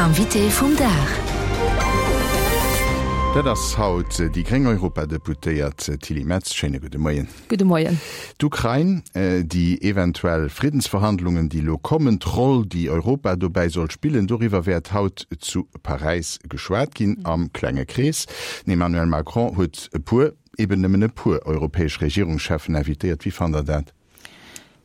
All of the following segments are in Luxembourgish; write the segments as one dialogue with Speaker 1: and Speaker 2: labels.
Speaker 1: Invité vum Dag.
Speaker 2: Dat ass haut déi gréng Europadeputéiert Tilly Metz. Schéine gudde Moien.
Speaker 3: Gudde Moien.
Speaker 2: D'Ukrain, déi eventuell Friddensverhandlungen, déi elo kommen, d'Roll, déi Europa dobäi soll spillen, doriwwer wäert haut zu Paräis geschwat ginn, am klenge Krees. Den Emmanuel Macron huet e puer, eben nëmmen e puer europäesch Regierungscheffen invitéiert. Wéi fannt Der dat?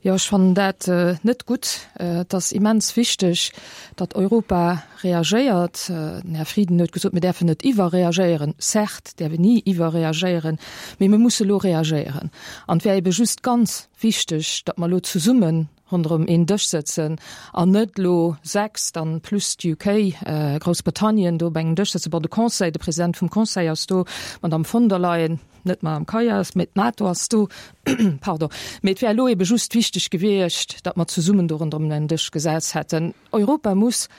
Speaker 3: Jo, ech fannen dat net gutt. Et ass immens wichteg, datt Europa reagéiert. Den Här Frieden huet gesot, mir däerfen net iwwerreagéieren. Certes däerf een ni iwwerreagéieren, mee mir musse elo reagéieren. An et wär ebe just ganz wichteg, datt mer elo zesumme ronderëm een Dësch sëtzen an net elo 6, dann plus d'UK, Groussbritannien, do op engem Dësch sëtzen. Bon, de Conseil, de President vum Conseil ass do, d'Madame von der Leyen, net d'Madame Kallas, mee d'NATO ass do, pardon. Mee et wär elo ebe just wichteg gewiescht, datt mer zesummen do ronderëm en Dësch gesetzt hätten. Europa muss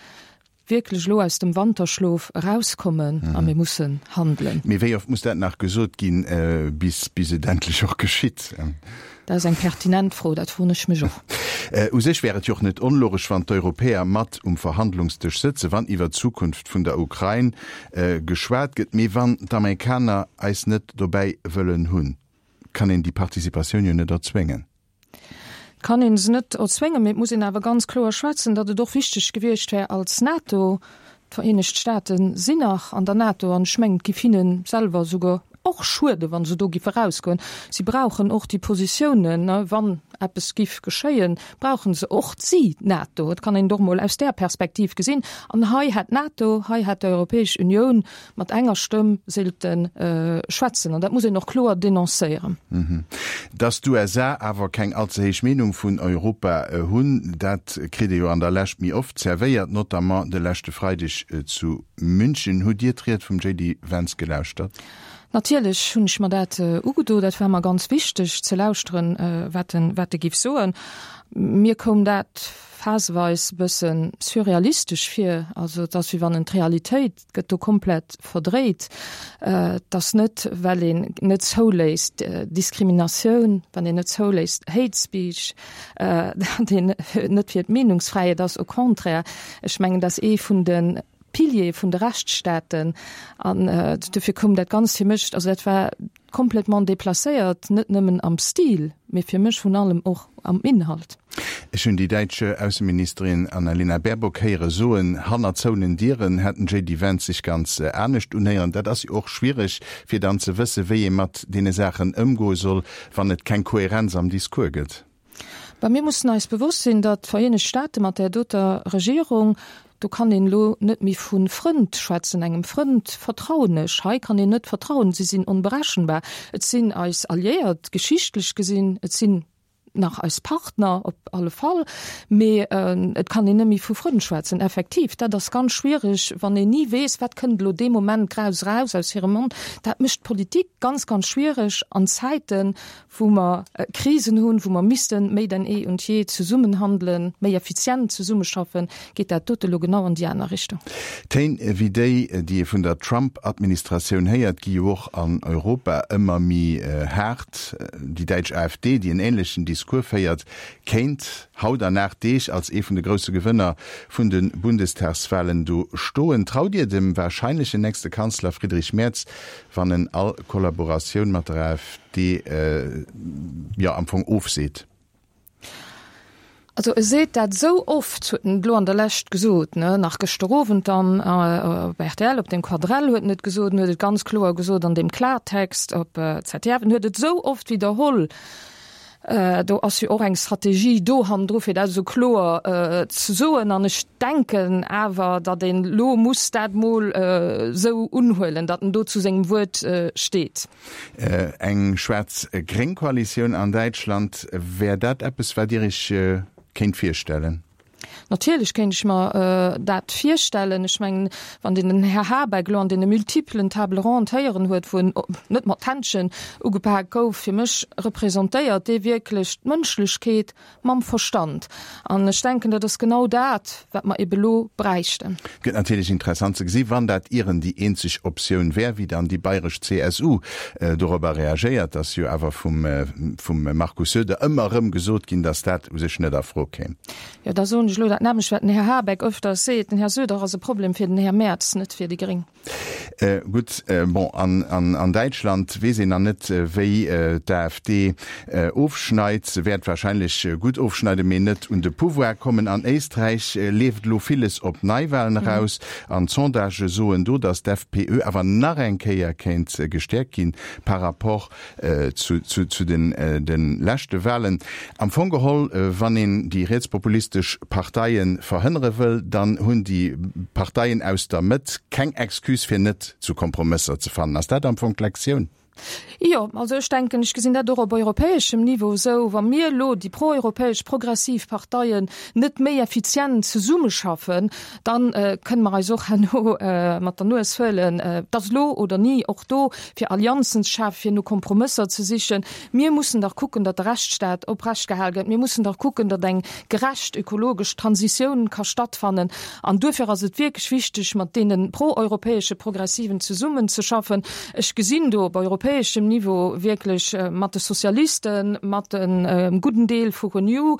Speaker 3: wierklech elo aus dem Wanterschlof erauskommen a mir mussen handelen.
Speaker 2: Mee wéi oft muss dat nach gesot ginn, bis bis et endlech och geschitt?
Speaker 3: Dat ass eng pertinent Fro, dat froen ech mech och.
Speaker 2: U sech wär et jo och net onlogesch, wann d'Europäer mat um Verhandlungsdësch sëtzen, wann iwwer d'Zukunft vun der Ukrain geschwat gëtt. Mee wann d'Amerikaner eis net dobäi wëllen hunn, kann een déi Participatioun jo net erzwéngen.
Speaker 3: Et kann ee se net erzwéngen, mee et muss een awer ganz kloer schwätzen, datt et och wichteg gewiescht wär als NATO, d'Vereenegt Staate sinn nach an der NATO an ech mengen, et giff hinne selwer esouguer och schueden, wa se do giffe erausgoen. Si brauchen och déi Positiounen, wann eppes giff geschéien, brauche se och si d'NATO. Et kann een et och emol aus där Perspektiv gesinn. An hei hätt d'NATO, hei hätt d'Europäesch Unioun mat enger Stëmm sollte schwätzen. An dat muss een och kloer denoncéieren.
Speaker 2: Datt d'USA awer keng allze héich Meenung vun Europa hunn, dat kritt ee jo an der Lescht méi oft zerwéiert, notamment de leschte Freideg zu München. Hutt Dir d'Ried vum JD Vance gelauschtert?
Speaker 3: Natierlech hunn ech mer dat ugedo. Dat war mer ganz wichteg ze lauschteren, wat en, wat e giff soen. Mir koum dat phaseweis e bësse surrealistesch vir. Also et ass wéi wann en d'Realitéit gëtt do komplett verdréit. Et ass net, well een net zouléisst Diskriminatioun, wann een net zouléisst Hate Speech, datt een net fir d'Meenungsfräiheet ass. Au contraire, ech mengen, dat ass ee vun de Piliere vun de Rechtsstaaten. An dofir koum dat Ganzt fir mech, also dat war Complètement déplacéiert, net nëmmen am Stil, mee fir mech vun allem och am Inhalt.
Speaker 2: Ech hunn déi däitsch Ausseministerin Annalena Baerbock héiere soen, hanner zouenen Dieren hätt den JD Vance sech ganz anescht unhéieren. Dat ass jo och schwiereg, fir dann ze wësse wéi ee mat deene Saachen ëmgoe soll, wann et keng Kohärenz am Discours gëtt.
Speaker 3: Bah, mir mussen eis bewosst sinn, datt d'Vereenegt Staate mat där doter Regierung, do kann een elo net méi vu Frënd schwätzen, engem Frënd vertrauen ech, hei kann een net vertrauen, si sinn onberechenbar. Et sinn eis Alliéiert, geschichtlech gesinn, et sinn nach eis Partner op alle Fall, mee et kann een net méi vu Frënn schwätzen. Effektiv, dat ass ganz schwiereg, wann een ni weess, wat kënnt elo dee Moment graus eraus aus hirem Mond. Dat mécht d'Politik ganz, ganz schwiereg an Zäiten, wou mer Krisen hunn, wou mer missten méi denn eh und je zesummen handelen, méi effizient zesummeschaffen, geet dat dote lo genau an déi aner Richtung.
Speaker 2: Téin wéi déi, déi ee vun der Trump-Administratioun héiert, gi jo och an Europa ëmmer méi haart. Déi däitsch AfD, déi en änlechen Discours féiert, kéint haut an 8 Deeg als ee vun de grousse Gewënner vun de Bundestagswalen do stoen. Traut Dir dem warscheinlechen nächste Kanzler Friedrich Merz, wann en all Kollaboratioun mat der AfD jo am Fong ofseet?
Speaker 3: Also e seet dat esou oft, huet en elo an der Lescht gesot, ne, nach gëschter Owend dann op rtl, op deem Quadrell huet en et gesot, en huet et ganz kloer gesot an deem Klartext op ZDF, en huet et esou oft widderholl, Do ass jo och eng Strategie do hannendru fir dat esou kloer ze soen. An ech denken awer, datt een elo muss dat mol esou unhuelen, datt en do zu sengem Wuert steet.
Speaker 2: Eng schwaarz-gréng Koalitioun an Däitschland, wär dat eppes, wat Dir Iech kéint virstellen?
Speaker 3: Natierlech kéint ech mer dat virstellen. Ech mengen, wann een den Här Habeck elo an deene multiplen Table rondes héieren huet, wou en net mat Händschen ugepak gouf, fir mech representéiert dee wierklech d'Mënschlechkeet mam Verstand. An ech denken, dat ass genau dat, wat mer ebe lo bräichten.
Speaker 2: Gëtt natierlech interessant ze gesi wann dat ieren déi eenzeg Optioun wär, wéi dann déi bayresch CSU dorobber reagéiert. Ass jo awer vum Markus Söder ëmmer erëm gesot ginn, datt dat u sech net a Fro kéim.
Speaker 3: Jo, da soen ech elo. dat nämmlecht, wat den Här Habeck öfters seet, Den Här Söder ass e Problem fir den Här Merz, net fir déi Gréng.
Speaker 2: Gutt, bon, an Däitschland weess een nach net, wéi d'AfD ofschneit. Se wäert warscheinlech gutt ofschneiden, mee net un de Pouvoir kommen. An Éisträich leeft elo villes op Neiwalen eraus an d'Sondagë soen do, datt d'FPÖ awer nach eng Kéier kéint gestäerkt ginn par rapport zu de leschte Wahlen. Am Fong geholl, wann een déi rietspopulistesch Parteie verhënnere wëll, dann hunn déi Parteien aus der Mëtt keng Excuse fir net zu Kompromësser ze fannen. Ass dat am Fong d'Lektioun?
Speaker 3: Jo, also ech denken, ech gesinn dat och op europäeschem Niveau esou, wa mir elo, déi proeuropäesch, progressiv Parteien, net méi effizient zesummeschaffen, dann kënne mer eis och herno mat der Nues huelen, et ass elo oder ni, och do fir Allianzen ze schafen, fir no Kompromësser ze sichen. Mir mussen dach kucken, datt de Rechtsstaat oprechtgehal gëtt. Mir mussen dach kucken, datt eng gerecht ökologesch Transitioun ka stattfannen. An duerfir ass et wierklech wichteg, mat deene proeuropäesche Progressiven zesummenzeschaffen. Ech gesinn do op europäeschem Niveau wierklech mat de Sozialisten, mat engem gudden Deel vu Renew,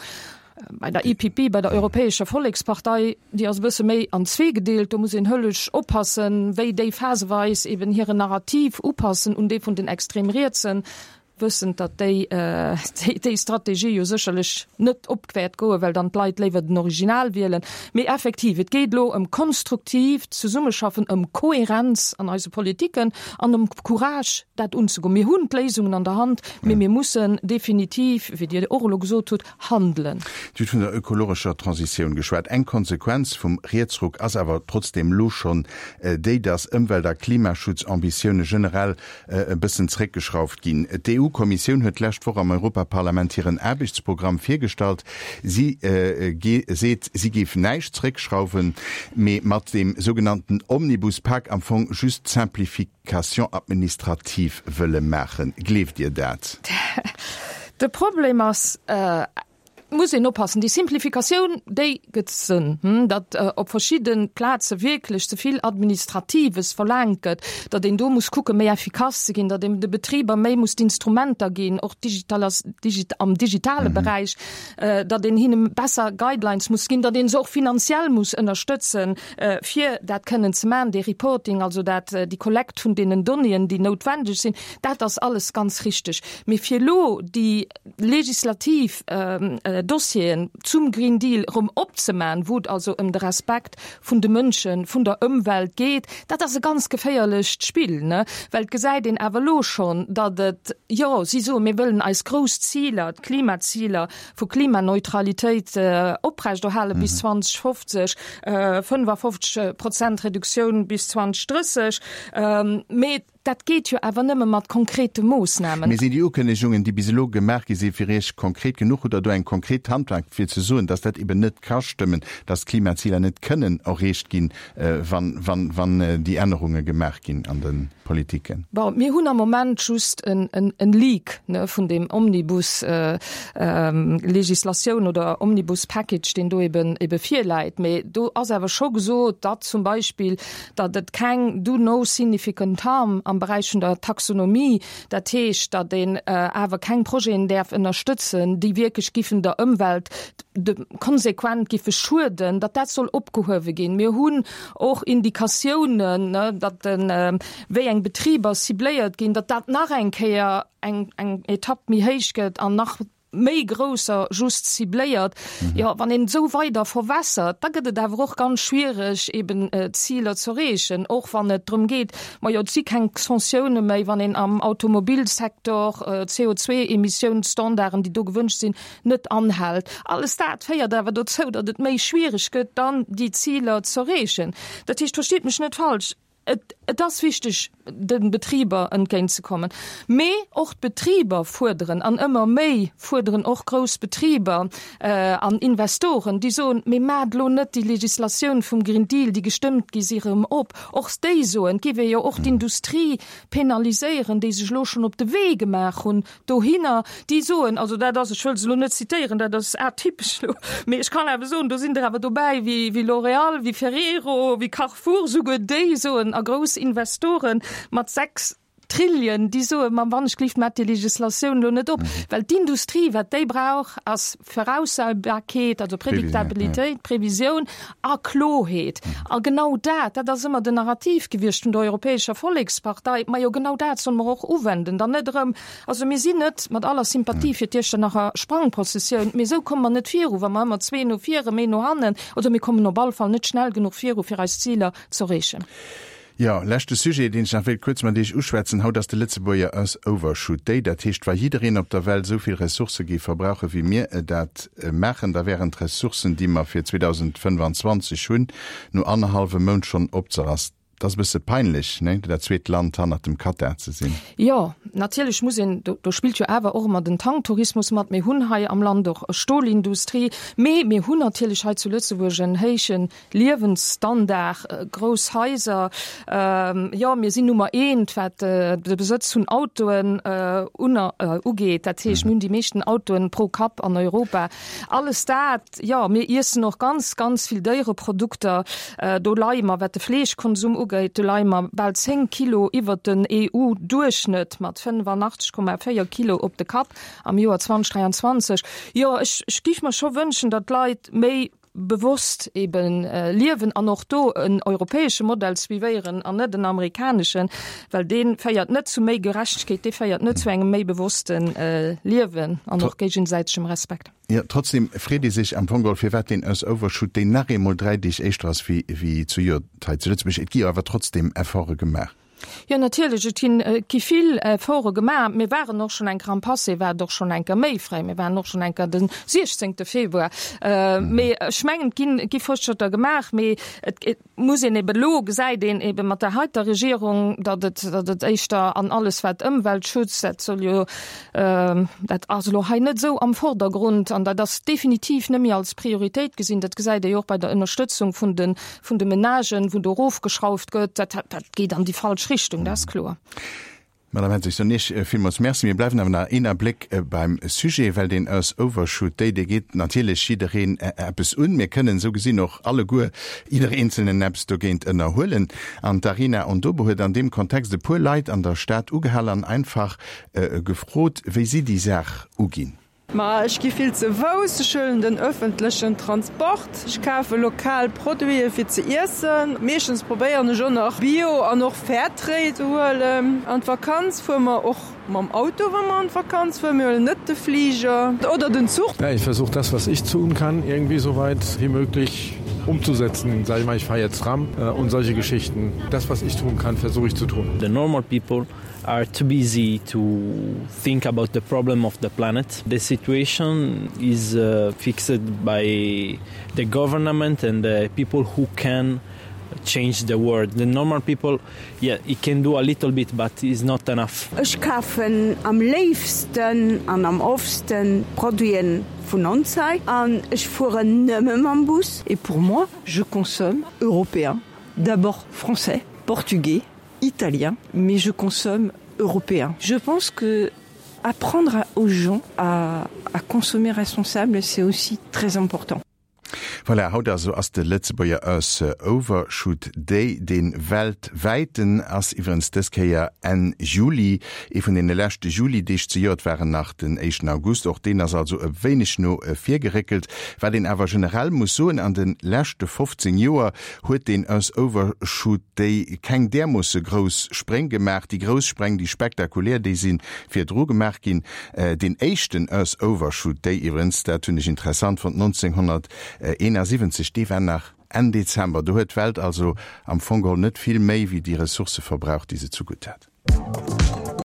Speaker 3: Bei der EPP, bei der Europäescher Vollekspartei, déi ass e bësse méi an zweegedeelt. Do muss een höllesch oppassen, wéi déi phaseweis eben hiren Narrativ upassen un dee vun den extrem Rietsen, wëssend, datt déi déi Strategie jo sécherlech net op wäert goen, well dann d'Leit léiwer den Original wielen. Mee effektiv, et geet elo ëm konstruktiivt Zesummeschaffen, ëm Kohärenz an eise Politiken an ëm Courage, dat unzegoen. Mir hunn d'Léisungen an der Hand, mee mir mussen definitiv, wéi Dir och elo gesot hutt, handelen.
Speaker 2: Dir hutt vun der ökologescher Transitioun geschwat. Eng Konsequenz vum Rietsruck ass awer trotzdeem elo schonn déi, datt Ëmwelt a Klimaschutzambitioune generell e bëssen zréckgeschrauft ginn. D'EU-Kommissioun huet d'lescht Woch am Europaparlament hiren Aarbechtsprogramm virgestallt. Si seet, si géif näischt zréckschrauwen, mee mat deem sougenannten Omnibuspak am Fong just d'Simplification Cation administrative wëlle maachen. Gleeft Dir dat?
Speaker 3: De Problem ass, et muss een oppassen, déi Simplifikatioun, déi gëtt Sënn, datt op verschidde Plaze wierklech ze vill Administratives verlaangt gëtt, datt een do muss kucken, méi effikass ze ginn, datt een de Betriber méi muss d'Instrumenter ginn, och am digitale Beräich, datt een hinne besser Guidelines muss ginn, datt ee se och finanziell muss ënnerstëtzen, fir dat kënnen ze maachen, dee Reporting, also dat, déi Kollekt vun deenen Donnéeën, déi noutwendeg sinn, dat ass alles ganz richteg. Mee fir elo déi legislativ Dossieren zum Green Deal erëm opzemaachen, wou et also ëm de Respekt vun de Mënschen, vun der Ëmwelt geet, dat ass e ganz geféierlecht Spill, ne? Well et gesäit een awer elo schonn, datt et, jo, si soen, mir wëllen eis grouss Ziler, d'Klimaziler, vu Klimaneutralitéit oprechterhale bis 2050, 55 Prozent Reduktioun bis 2030. Mee dat geet jo awer nëmme mat konkrete Moossnamen.
Speaker 2: Mee sinn déi Ukënnegungen, déi bis elo gemaach gi sinn, fir Iech konkret genuch? Hutt Der do eng konkret Handlung, fir ze soen, dass dat eben net ka stëmmen, dass d'Klimaziler net kënnen erreecht ginn, wann déi Ännerunge gemaach ginn an de Politiken?
Speaker 3: Bon, mir hunn am Moment just en Leak vun deem Omnibus-Legislatioun oder Omnibus-Package, deen do ebe virläit. Mee do ass awer scho gesot, datt zum Beispill, datt et keng do no significant harm am Beräich vun der Taxonomie, dat heescht, datt een awer keng Projeten däerf ënnerstëtzen, déi wierklech giffen der Ëmwelt konsequent giffe schueden, datt dat soll opgehuewe ginn. Mir hunn och Indikatiounen, datt wéi eng Betriber cibléiert ginn, datt dat nach eng Kéier eng eng Etapp méi héich gëtt an nach méi grousser just cibléiert. Jo, wann een esou weider verwässert, da gëtt et awer och ganz schwiereg, eben d'Ziler ze erreechen, och wann et drëm geet, majo, et si keng Sanctioune méi, wann een am Automobilsektor CO2-Emissiounsstandarden, déi do gewënscht sinn, net anhält. Alles dat féiert awer dozou, datt et méi schwiereg gëtt, dann déi Ziler z'erreechen. Dat heescht, verstitt mech net falsch, et, et ass wichteg, de Betriber entgéintzekommen, mee och d'Betriber fuerderen, an ëmmer méi fuerderen och grouss Betriber an Investoren, déi soen, Mee maacht elo net déi Legislatioun vum Green Deal, déi gestëmmt gi si, erëm op. Och déi soen, et géif ee jo och d'Industrie penaliséieren, déi sech elo schonn op de Wee gemaach hunn, dohinner, déi soen, also dat ass, ech wëll se elo net zitéieren, dat ass atypesch elo, mee ech kann awer soen, do sinn der awer dobäi wéi, wéi L'Oréal, wéi Ferrero, wéi Carrefour, souguer déi soen, a grouss Investoren mat 6. Triljen, déi soe ma wann ech gelift, maacht déi Legislatioun elo net op, well d'Industrie, wat déi brauch, ass Voraussabarkeet, also Prediktabilitéit, Previsioun a Kloheet. A genau dat, dat ass ëmmer den Narrativ gewiescht vun der Europäescher Vollekspartei. Majo, genau dat solle mer och uwenden, dann net erëm, also mir sinn net, mat aller Sympathie fir d'Iechternacher Sprangprozessioun, mee esou komme mer net viru, wa mer ëmmer zwee no vir, erëm een no hannen, oder mir kommen op all Fall net schnell genuch viru fir eis Ziler z'erreechen.
Speaker 2: Jo, leschte Sujet, deen ech nach wéilt kuerz mat Iech uschwätzen. Haut ass de Lëtzebuerger Earth Overshoot Day. Dat heescht, wa jiddereen op der Welt esou vill Ressourcë géif verbrauche wéi mir dat maachen, da wären d'Ressourcen, déi mer fir 2025 hunn, no annerhallwem Mount schonn opzerass. Dat ass e bësse peinlech, ne, dat zweet Land hannert dem Katar ze sinn.
Speaker 3: Jo, natierlech muss een, do, do spillt jo awer och ëmmer den Tanktourismus mat. Mir hunn hei am Land och e Stolindustrie, mee mir hunn natierlech hei zu Lëtzebuerg en héijen Liewensstandard, grouss Haiser, jo, mir sinn Nummer eent, wat de Besëtz vun Autoen ugeet. Dat heescht, mir hunn déi meeschten Autoen pro Kapp an Europa. Alles dat, jo, mir iessen och ganz, ganz vill Déiereprodukter. Do leie mer, wat de Fleeschkonsum ugeet, do leie mer bal 10 Kilo iwwert den EU-Duerchschnëtt mat 85,4 Kilo op de Kapp am Joer 2023. Jo, ech, ech géif mer scho wënschen, datt d'Leit méi bewosst eben liewen an och do en europäesche Modell suivéieren an net en amerikaneschen, well dee féiert net zu méi Gerechtegkeet, dee féiert net zu engem méi bewosste Liewen an och géigesäitegem Respekt.
Speaker 2: Jo, trotzdem freet ee sech am Fong geholl, firwat deen Earth Overshoot Day nach eemol 3 Deeg éischter ass wéi wéi zejoert hei zu Lëtzebuerg. Et gi jo awer trotzdem Efforte gemaach.
Speaker 3: Jo, natierlech, et ginn, et gi vill Efforte gemaach. Mir waren och schonn eng Kéier am Passé, war et och schonn eng Kéier méi fréi, mir waren och schonn eng Kéier de 16. Februar. Mee ech mengen, et ginn, et gi Fortschrëtter gemaach, mee et, et muss een eben elo, gesäit een eben mat där heiter Regierung, datt et, datt et éischter an alles wat Ëmweltschutz, dat soll jo, dat ass elo hei net esou am Vordergrund an dat ass definitiv net méi als Prioritéit gesinn. Dat gesäit ee jo och bei der Ënnerstëtzung vun de vun de Menagen, wou do erofgeschrauft gëtt, dat, dat geet an déi falsch Richtung, dat ass kloer.
Speaker 2: Madame Henssig, soen Iech villmools Merci. Mir bleiwen awer nach een Abléck beim Sujet, well deen Earth Overshoot Day, dee geet natierlech jiddereen eppes un. Mir kënnen esou gesinn och alleguer, jidder Eenzelnen eppes dogéint ënnerhuelen. An d'Arina Ondobe huet an deem Kontext e puer Leit an der Stad ugehal an einfach gefrot, wéi si déi Saach uginn.
Speaker 1: Ma ech gi vill ze Fouss, ech huelen den ëffentlechen Transport, ech kafe lokal Produite fir ze iessen. Meeschtens probéieren ech och nach Bio an och Fairtrade ze huelen. An d'Vakanz fuere mer och mam Auto, wa mer an d'Vakanz fueren. Mir huelen net de Fliger oder den Zuch.
Speaker 4: Ja, ich versuch das, was ich tun kann, irgendwie so weit wie möglich umzusetzen. Sag ich mal, ich fahr jetzt Tram und solche Geschichten. Das, was ich tun kann, versuch ich zu tun.
Speaker 5: The normal people are too busy to think about the problem of the planet. The situation is uh, fixed by the government and the people who can change the world. The normal people, yeah, it can do a little bit, but it's not enough.
Speaker 6: Ech kafen am léifsten an am oftsten Produiten vun ons hei an ech fueren nëmme mam Bus.
Speaker 7: Et pour moi, je consomme européen, d'abord français, portugais, italien, mais je consomme européen. Je pense que apprendre aux gens à, à consommer responsable, c'est aussi très important.
Speaker 2: Voilà, haut also ass de Lëtzebuerger Earth Overshoot Day, dee weltwäiten ass iwwerens dës Kéier Enn Juli. Ee vun deene leschte Juli-Deeg zejoert waren nach den éischten August, och deen ass also e wéineg no vir geréckelt. Wat een awer generell muss soen, an de leschte 15 Joer huet deen Earth Overshoot Day keng därmoosse grouss Spréng gemaach. Déi grouss Spräng, déi spektakulär, déi si virdru gemaach ginn. Deen éischten Earth Overshoot Day iwwerens, dat hunn ech interessant fonnt, 1971, dee war nach Enn Dezember. Do huet d'Welt also am Fong geholl net vill méi wéi déi Ressourcë verbraucht, déi se zugutt hat.